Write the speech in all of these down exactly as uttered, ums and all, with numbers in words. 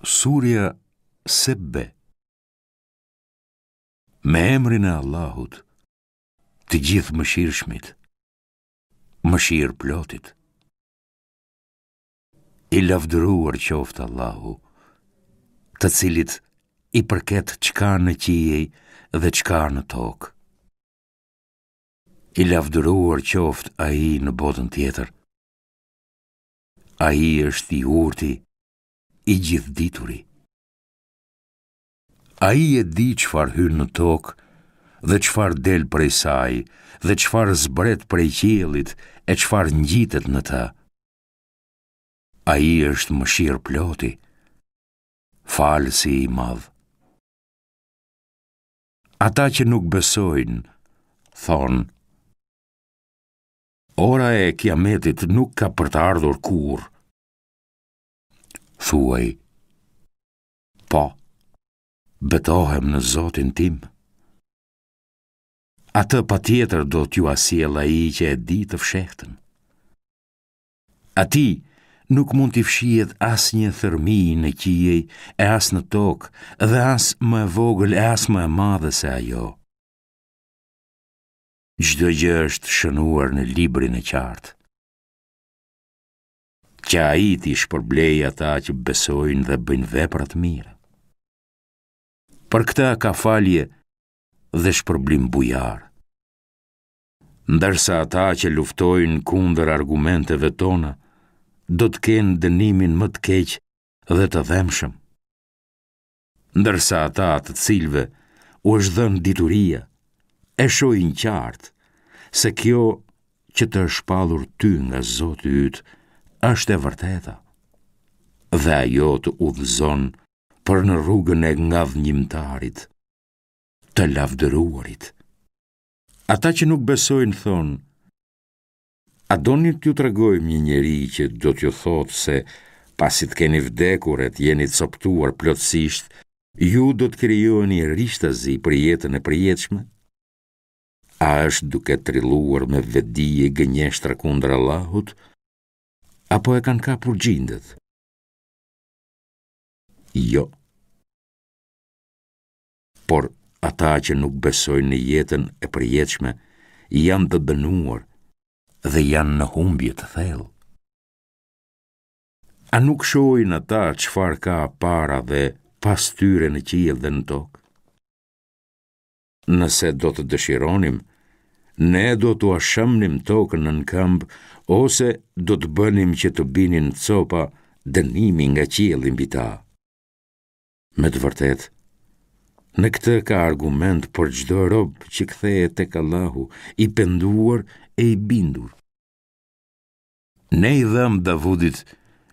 Surja Sebbe. Me emrin e Allahut, të Gjithëmëshirshmit, mëshirëplotit. I lavdëruar qoftë Allahu, të cilit i përket çka në qiej dhe çka në tokë. I lavdëruar qoftë Ai në botën tjetër. Ai është i urti, i gjithëdituri. Ai e di çfarë hyn në tokë dhe çfarë del prej saj dhe çfarë zbret prej qiellit e çfarë ngjitet në të. Ai është mëshirëploti, falësi i madh. Ata që nuk besojnë, thonë, Ora e kiametit nuk ka për të ardhur kurrë. Thuaj, po, betohem në Zotin tim. Atë patjetër do t'jua sjellë ai që e di të fshehtën. Atij nuk mund t'i fshihet asnjë thërrmi në qiej e as në tokë dhe as më e vogël e as më e madhe se ajo. Çdo gjë është shënuar në librin e qartë. Që ai t'i shpërblejë ata që besojnë dhe bëjnë vepra të mira. Për këta ka falje dhe shpërblim bujar. Ndërsa ata që luftojnë kundër argumenteve tona, do të kenë dënimin më të keq dhe të dhembshëm. Ndërsa ata të cilëve u është dhënë dituria, e shohin qartë se kjo që të është shpallur ty nga Zoti yt është e vërteta, dhe ajo të udhëzon për në rrugën e ngadhënjimtarit, të lavdëruarit. Ata që nuk besojnë thonë, a doni t'ju tregojmë një njeri që do t'ju thotë se pasi të keni vdekur e të jeni copëtuar plotësisht, ju do të krijoheni rishtazi për jetën e përjetshme? A është duke trilluar me vetëdije gënjeshtra kundër Allahut, apo e kanë kapur xhindët? Jo. Por ata që nuk besojnë në jetën e përjetshme janë të dënuar dhe janë në humbje të thellë. A nuk shohin ata çfarë ka para dhe pas tyre në qiell dhe në tokë? Nëse do të dëshironim, ne do t'ua shembnim tokën nën këmbë ose do të bënim që të binin copa dënimi nga qielli mbi ta. Me të vërtetë, në këtë ka argument për çdo rob që kthehet tek Allahu, i penduar e i bindur. Ne i dhamë Davudit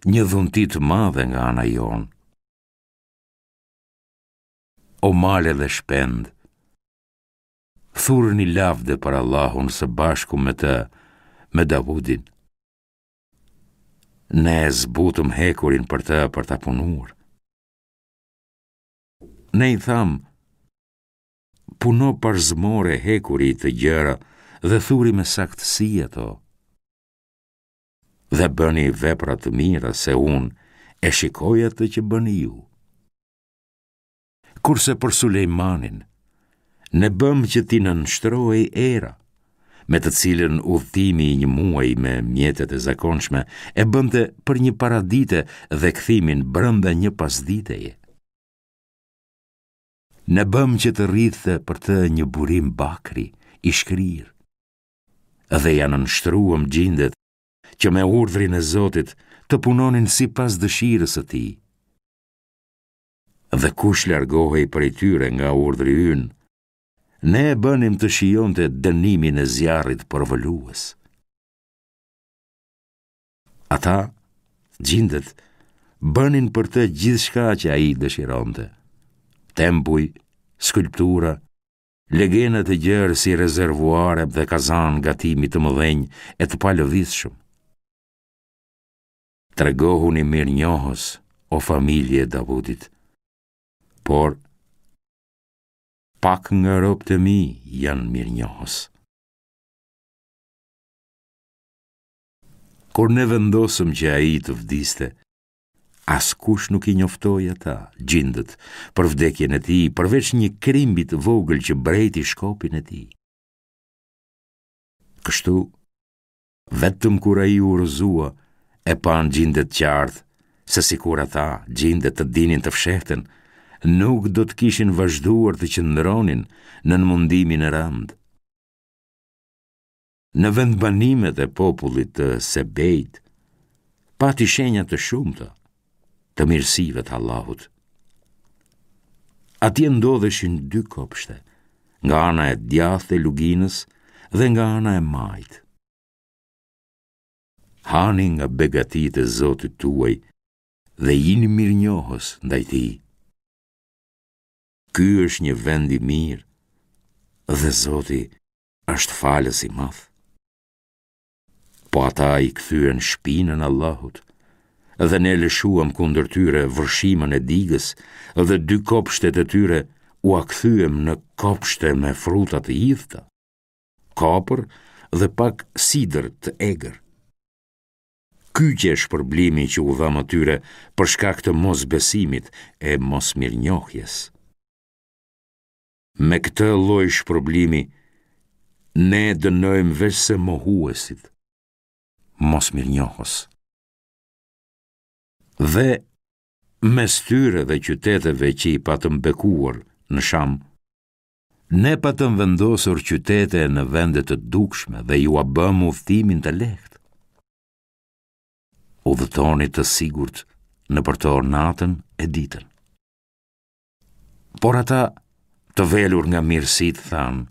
një dhunti të madhe nga ana jonë. O male dhe shpendë, thurni lavde për Allahun së bashku me të, me Davudin. Ne e zbutëm hekurin për të për ta punuar. Ne i thamë, puno parzmore hekuri të gjera dhe thuri me saktësi ato. Dhe bëni vepra të mira se unë e shikoj atë që bëni ju. Kurse për Sulejmanin, ne bëmë që t'i nënshtrohej era, me të cilën udhëtimi i një muaji me mjetet e zakonshme e bënte për një paradite dhe kthimin brenda një pasditeje. Ne bëmë që të rridhte për të një burim bakri, i shkrirë, dhe ia nënshtruam xhindet që me urdhrin e Zotit të punonin sipas dëshirës së tij. Dhe kush largohej prej tyre nga urdhri ynë, ne e bënim të shijonte dënimin e zjarrit përvëlues. Ata, xhindet, bënin për të gjithçka që ai dëshironte. Tempuj, skulptura, legena të gjerë si rezervuare dhe kazanë gatimi të mëdhenj e të palëvizshëm. Tregohuni mirënjohës, o familje e Davudit, por pak nga robët e mi janë mirënjohës. Kur ne vendosëm që ai të vdiste, Askush nuk i njoftoi ata, xhindët, për vdekjen e tij, përveç një krimbi të vogël që brejti shkopin e tij. Kështu, vetëm kur ai u rrëzua, e panë xhindët qartë, se sikur ata, xhindët, të dinin të fshehtën, nuk do të kishin vazhduar të qëndronin nën mundimin e rëndë. Në vendbanimet e popullit të Sebeit, pati shenja të shumta të mirësive të Allahut. Atje ndodheshin dy kopshte, nga ana e djathtë e luginës dhe nga ana e majtë. Hani nga begatitë e Zotit tuaj dhe jini mirënjohës ndaj tij. Ky është një vend i mirë dhe Zoti është falës i madh. Po ata i kthyen shpinën Allahut dhe ne lëshuam kundër tyre vërshimën e digës dhe dy kopshtet e tyre ua kthyem në kopshte me fruta të idhta, kopër dhe pak sidër të egër. Ky qe shpërblimi që u dhamë atyre për shkak të mosbesimit e mosmirënjohjes. Me këtë lloj shpërblimi, ne dënojmë veçse mohuesit, mosmirënjohës. Dhe mes tyre dhe qyteteve që i patëm bekuar në Sham, ne patëm vendosur qytete në vende të dukshme dhe jua bëmë udhëtimin të lehtë. Udhëtoni të sigurt nëpër to natën e ditën. Por ata, të velur nga mirësitë, thanë,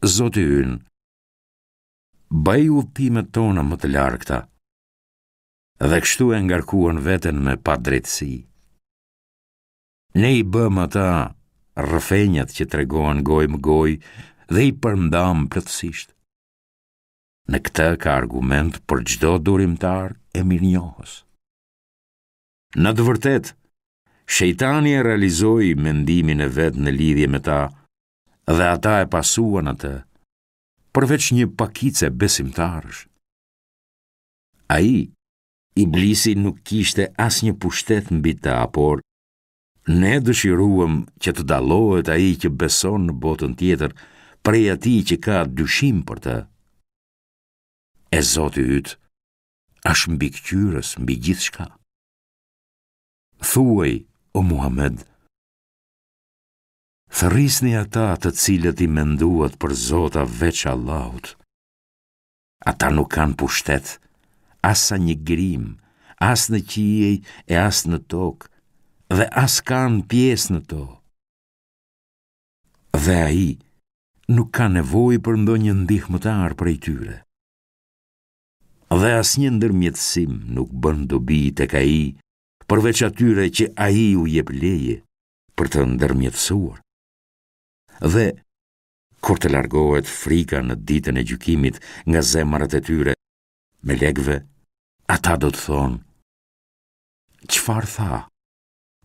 Zoti ynë, bëji udhëtimet tona më të largëta, dhe kështu e ngarkuan veten me padrejtësi. Ne i bëmë ata rrëfenjat që tregohen gojë më gojë dhe i përndamë plotësisht. Në këtë ka argument për çdo durimtar e mirënjohës. Në të vërtetë, shejtani e realizoi mendimin e vet në lidhje me ta dhe ata e pasuan atë, përveç një pakice besimtarësh. Ai, Iblisi, nuk kishte asnjë pushtet mbi ta, por ne dëshiruam që të dallohet ai që beson në botën tjetër prej atij që ka dyshim për të. E Zoti yt është mbikëqyrës mbi gjithçka. Thuaj, o Muhamed, thërrisni ata të cilët i menduat për zota veç Allahut. Ata nuk kanë pushtet, as sa një grimë, as në qiej e as në tokë, dhe as kanë pjesë në to. Dhe ai nuk ka nevojë për ndonjë ndihmëtar prej tyre. Dhe asnjë ndërmjetësim nuk bën dobi tek ai, përveç atyre që ai u jep leje për të ndërmjetësuar. Dhe kur të largohet frika në ditën e gjykimit nga zemrat e tyre, melekëve, ata do të thonë, çfarë tha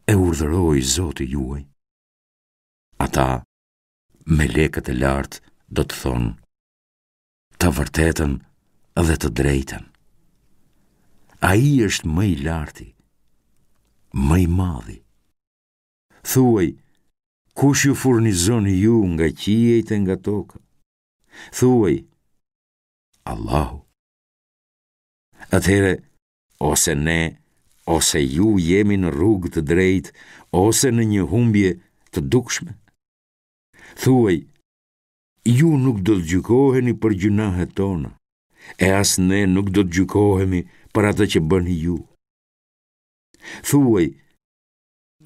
e urdhëroi Zoti juaj? Ata, melekët e lartë, do të thonë, të vërtetën dhe të drejtën. Ai është më i larti, më i madhi. Thuaj, kush ju furnizon ju nga qiejt e nga toka? Thuaj, Allahu. Atëherë, ose ne, ose ju jemi në rrugë të drejtë, ose në një humbje të dukshme. Thuaj, ju nuk do të gjykoheni për gjynahet tona, e as ne nuk do të gjykohemi për atë që bëni ju. Thuaj,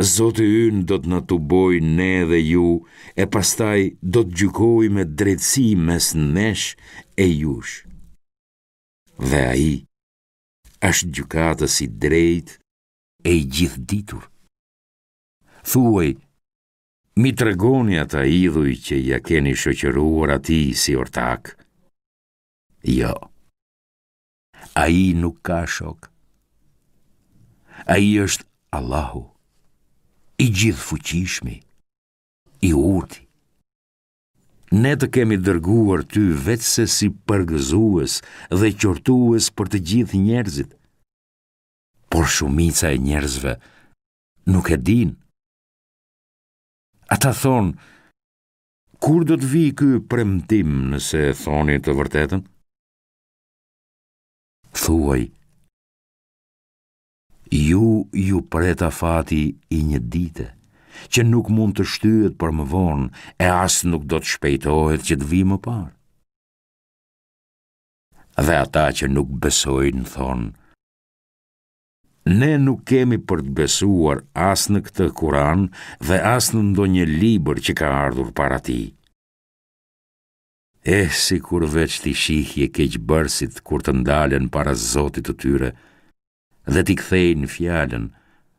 Zoti ynë do të na tubojë ne dhe ju, e pastaj do të gjykojë me drejtësi mes nesh e jush. Dhe ai është gjykatës i drejtë e i gjithëditur. Thuaj, m'i tregoni ata idhuj që ia keni shoqëruar atij si ortak. Jo, ai nuk ka shok. Ai është Allahu, i gjithëfuqishmi, i urti. Ne të kemi dërguar ty veçse si përgëzues dhe qortues për të gjithë njerëzit. Por shumica e njerëzve nuk e dinë. Ata thonë, kur do të vijë ky premtim nëse thoni të vërtetën? Thuaj, ju ju pret afati i një dite, që nuk mund të shtyhet për më vonë e as nuk do të shpejtohet që të vijë më parë. Dhe ata që nuk besojnë thonë, ne nuk kemi për të besuar as në këtë Kuran dhe as në ndonjë libër që ka ardhur para tij. Eh, sikur veç t'i shihje keqbërësit kur të ndalen para Zotit të tyre dhe t'i kthejnë fjalën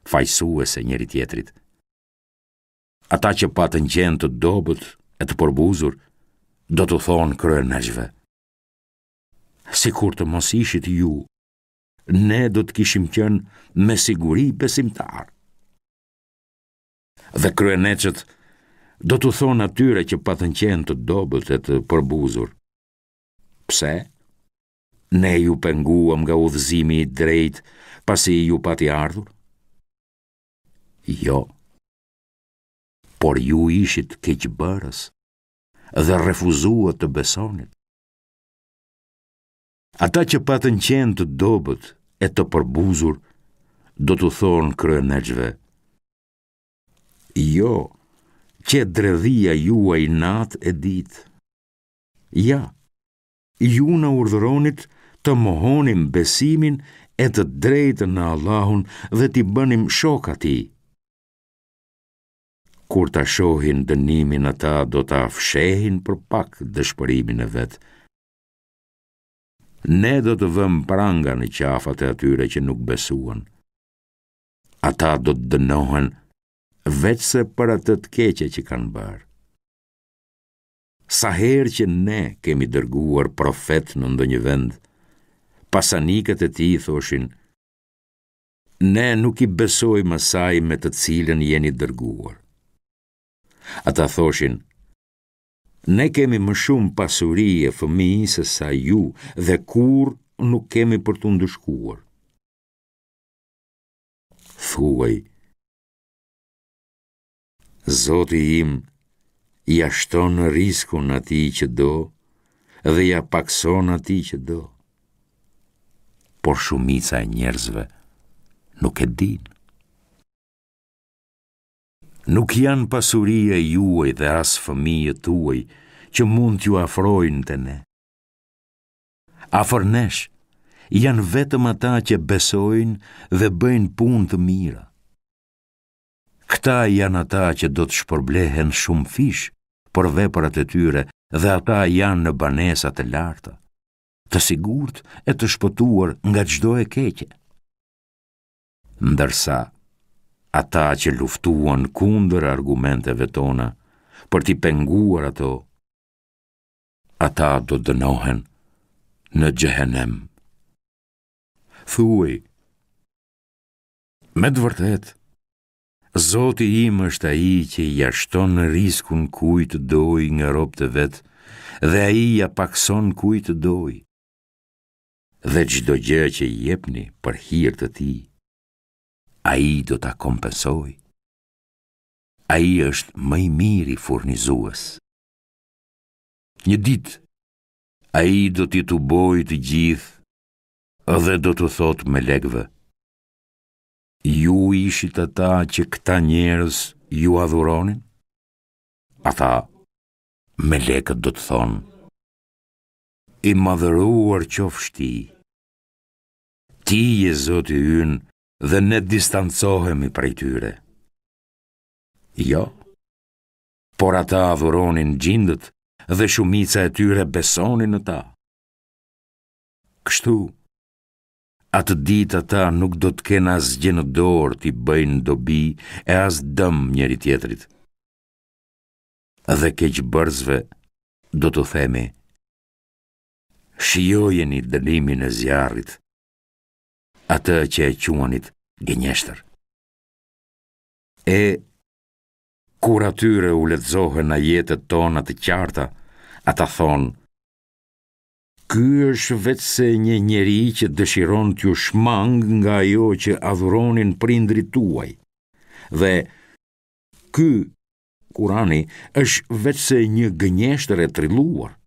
fajësuese njëri-tjetrit. Ata që patën qenë të dobët e të përbuzur, do t'u thonë kryeneçëve. Sikur të mos ishit ju, ne do të kishim qenë me siguri besimtarë. Dhe kryeneçët do t'u thonë atyre që patën qenë të dobët e të përbuzur. Pse? Ne ju penguam nga udhëzimi i drejtë pasi ju pati ardhur? Jo. Por ju ishit keqbërës dhe refuzuat të besonit. Ata që patën qenë të dobët e të përbuzur, do t'u thonë kryeneçëve. Jo, qe dredhia juaj natë e ditë. Ja, ju na urdhëronit të mohonim besimin e të drejtën në Allahun dhe t'i bënim shok atij. Kur ta shohin dënimin ata do ta fshehin për pak dëshpërimin e vet. Ne do të vëmë pranga në qafat e atyre që nuk besuan. Ata do të dënohen veçse për atë të keqe që kanë bërë. Sa herë që ne kemi dërguar profet në ndonjë vend, pasanikët e tij thoshin, ne nuk i besojmë asaj me të cilën jeni dërguar. Ata thoshin, ne kemi më shumë pasuri e fëmijë se sa ju dhe kurrë nuk kemi për t'u ndëshkuar. Thuaj, Zoti im ia shton riskun atij që do dhe ia pakëson atij që do. Por shumica e njerëzve nuk e dinë. Nuk janë pasuria juaj dhe as fëmijët tuaj që mund t'ju afrojnë te ne. Afër nesh janë vetëm ata që besojnë dhe bëjnë punë të mira. Këta janë ata që do të shpërblehen shumëfish për veprat e tyre dhe ata janë në banesa të larta, të sigurt e të shpëtuar nga çdo e keqe. Ndërsa ata që luftuan kundër argumenteve tona për t'i penguar ato, ata do dënohen në xhehenem. Thuaj, me të vërtetë, Zoti im është ai që ia shton riskun kujt të dojë nga robët e vet dhe ai ia pakëson kujt të dojë. Dhe çdo gjë që jepni për hir të tij, ai do ta kompensojë. Ai është më i miri furnizues. Një ditë, ai do t'i tubojë të gjithë dhe do t'u thotë melekëve. Ju ishit ata që këta njerëz ju adhuronin? Ata, melekët do të thonë, i madhëruar qofsh ti. Ti je Zoti ynë dhe ne distancohemi prej tyre. Jo, por ata adhuronin xhindët dhe shumica e tyre besonin në ta. Kështu, atë ditë ata nuk do të kenë asgjë në dorë t'i bëjnë dobi e as dëm njëri-tjetrit. Dhe keqbërësve do t'u themi, shijojeni dënimin e zjarrit, atë që e quanit gënjeshtër. E, kur atyre u lexohen ajetet tona të qarta, ata thonë, Ky është veçse një njeri që dëshiron t'ju shmangë nga ajo që adhuronin prindërit tuaj. Dhe ky, Kurani, është veçse një gënjeshtër e trilluar.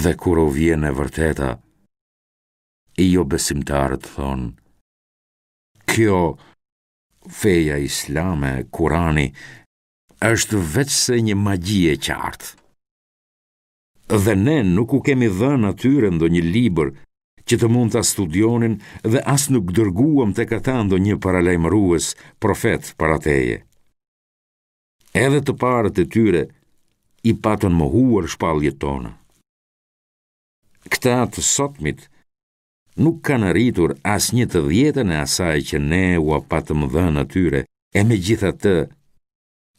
Dhe kur u vjen e vërteta, jobesimtarët thonë, kjo feja islame, Kurani, është veçse një magji e qartë. Dhe ne nuk u kemi dhënë atyre ndonjë libër që të mund ta studionin dhe as nuk dërguam tek ata ndonjë paralajmërues, profet para teje. Edhe të parët e tyre i patën mohuar shpalljet tona. Këta të sotmit nuk kanë arritur as një të dhjetën e asaj që ne ua patëm dhënë atyre, e megjithatë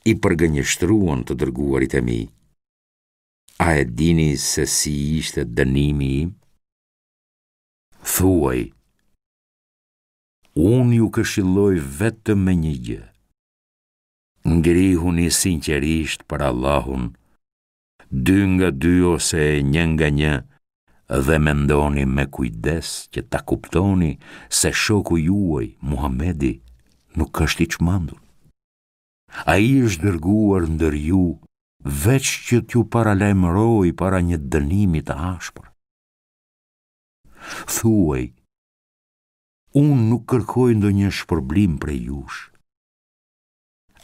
i përgënjeshtruan të dërguarit e mi. A e dini se si ishte dënimi im? Thuaj, unë ju këshilloj vetëm me një gjë. Ngrihuni sinqerisht për Allahun, dy nga dy ose një nga një, dhe mendoni me kujdes që ta kuptoni se shoku juaj, Muhamedi, nuk është i çmendur. Ai është dërguar ndër ju veç që t'ju paralajmërojë para një dënimi të ashpër. Thuaj, unë nuk kërkoj ndonjë shpërblim prej jush.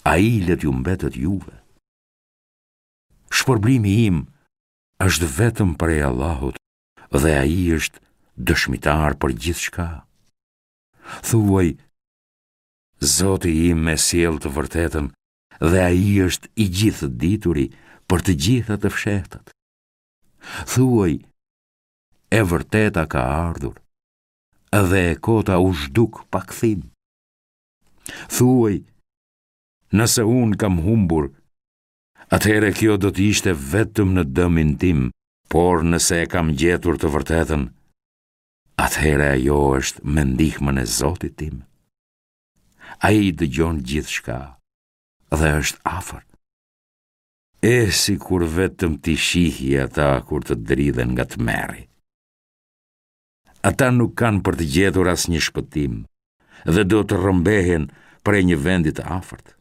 Ai le t'ju mbetet juve. Shpërblimi im është vetëm prej Allahut dhe ai është dëshmitar për gjithçka. Thuaj, Zoti im e sjell të vërtetën dhe ai është i gjithëdituri për të gjitha të fshehtat. Thuaj, e vërteta ka ardhur dhe e kota u zhduk pa kthim. Thuaj, nëse unë kam humbur, atëherë kjo do të ishte vetëm në dëmin tim, por nëse e kam gjetur të vërtetën, atëherë ajo është me ndihmën e Zotit tim. Ai dëgjon gjithçka dhe është afër. E sikur vetëm t'i shihje ata kur të dridhen nga tmerri. Ata nuk kanë për të gjetur asnjë shpëtim dhe do të rrëmbehen prej një vendi të afërt.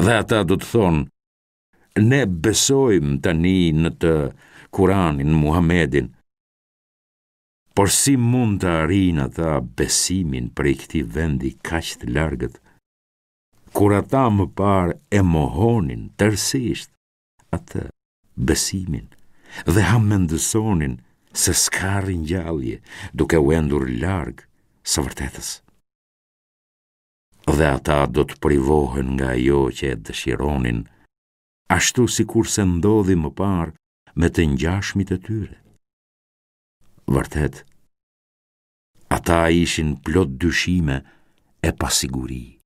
Dhe ata do të thonë, ne besojmë tani në të Kuranin, Muhamedin, por si mund të arrijnë ata besimin prej këtij vendi kaq të largët, kur ata më parë e mohonin tërësisht atë besimin dhe hamendësonin se s'ka ringjallje, duke u endur larg së vërtetës. Dhe ata do të privohen nga ajo që e dëshironin, ashtu sikurse ndodhi më parë me të ngjashmit e tyre. Vërtet, ata ishin plot dyshime e pasiguri.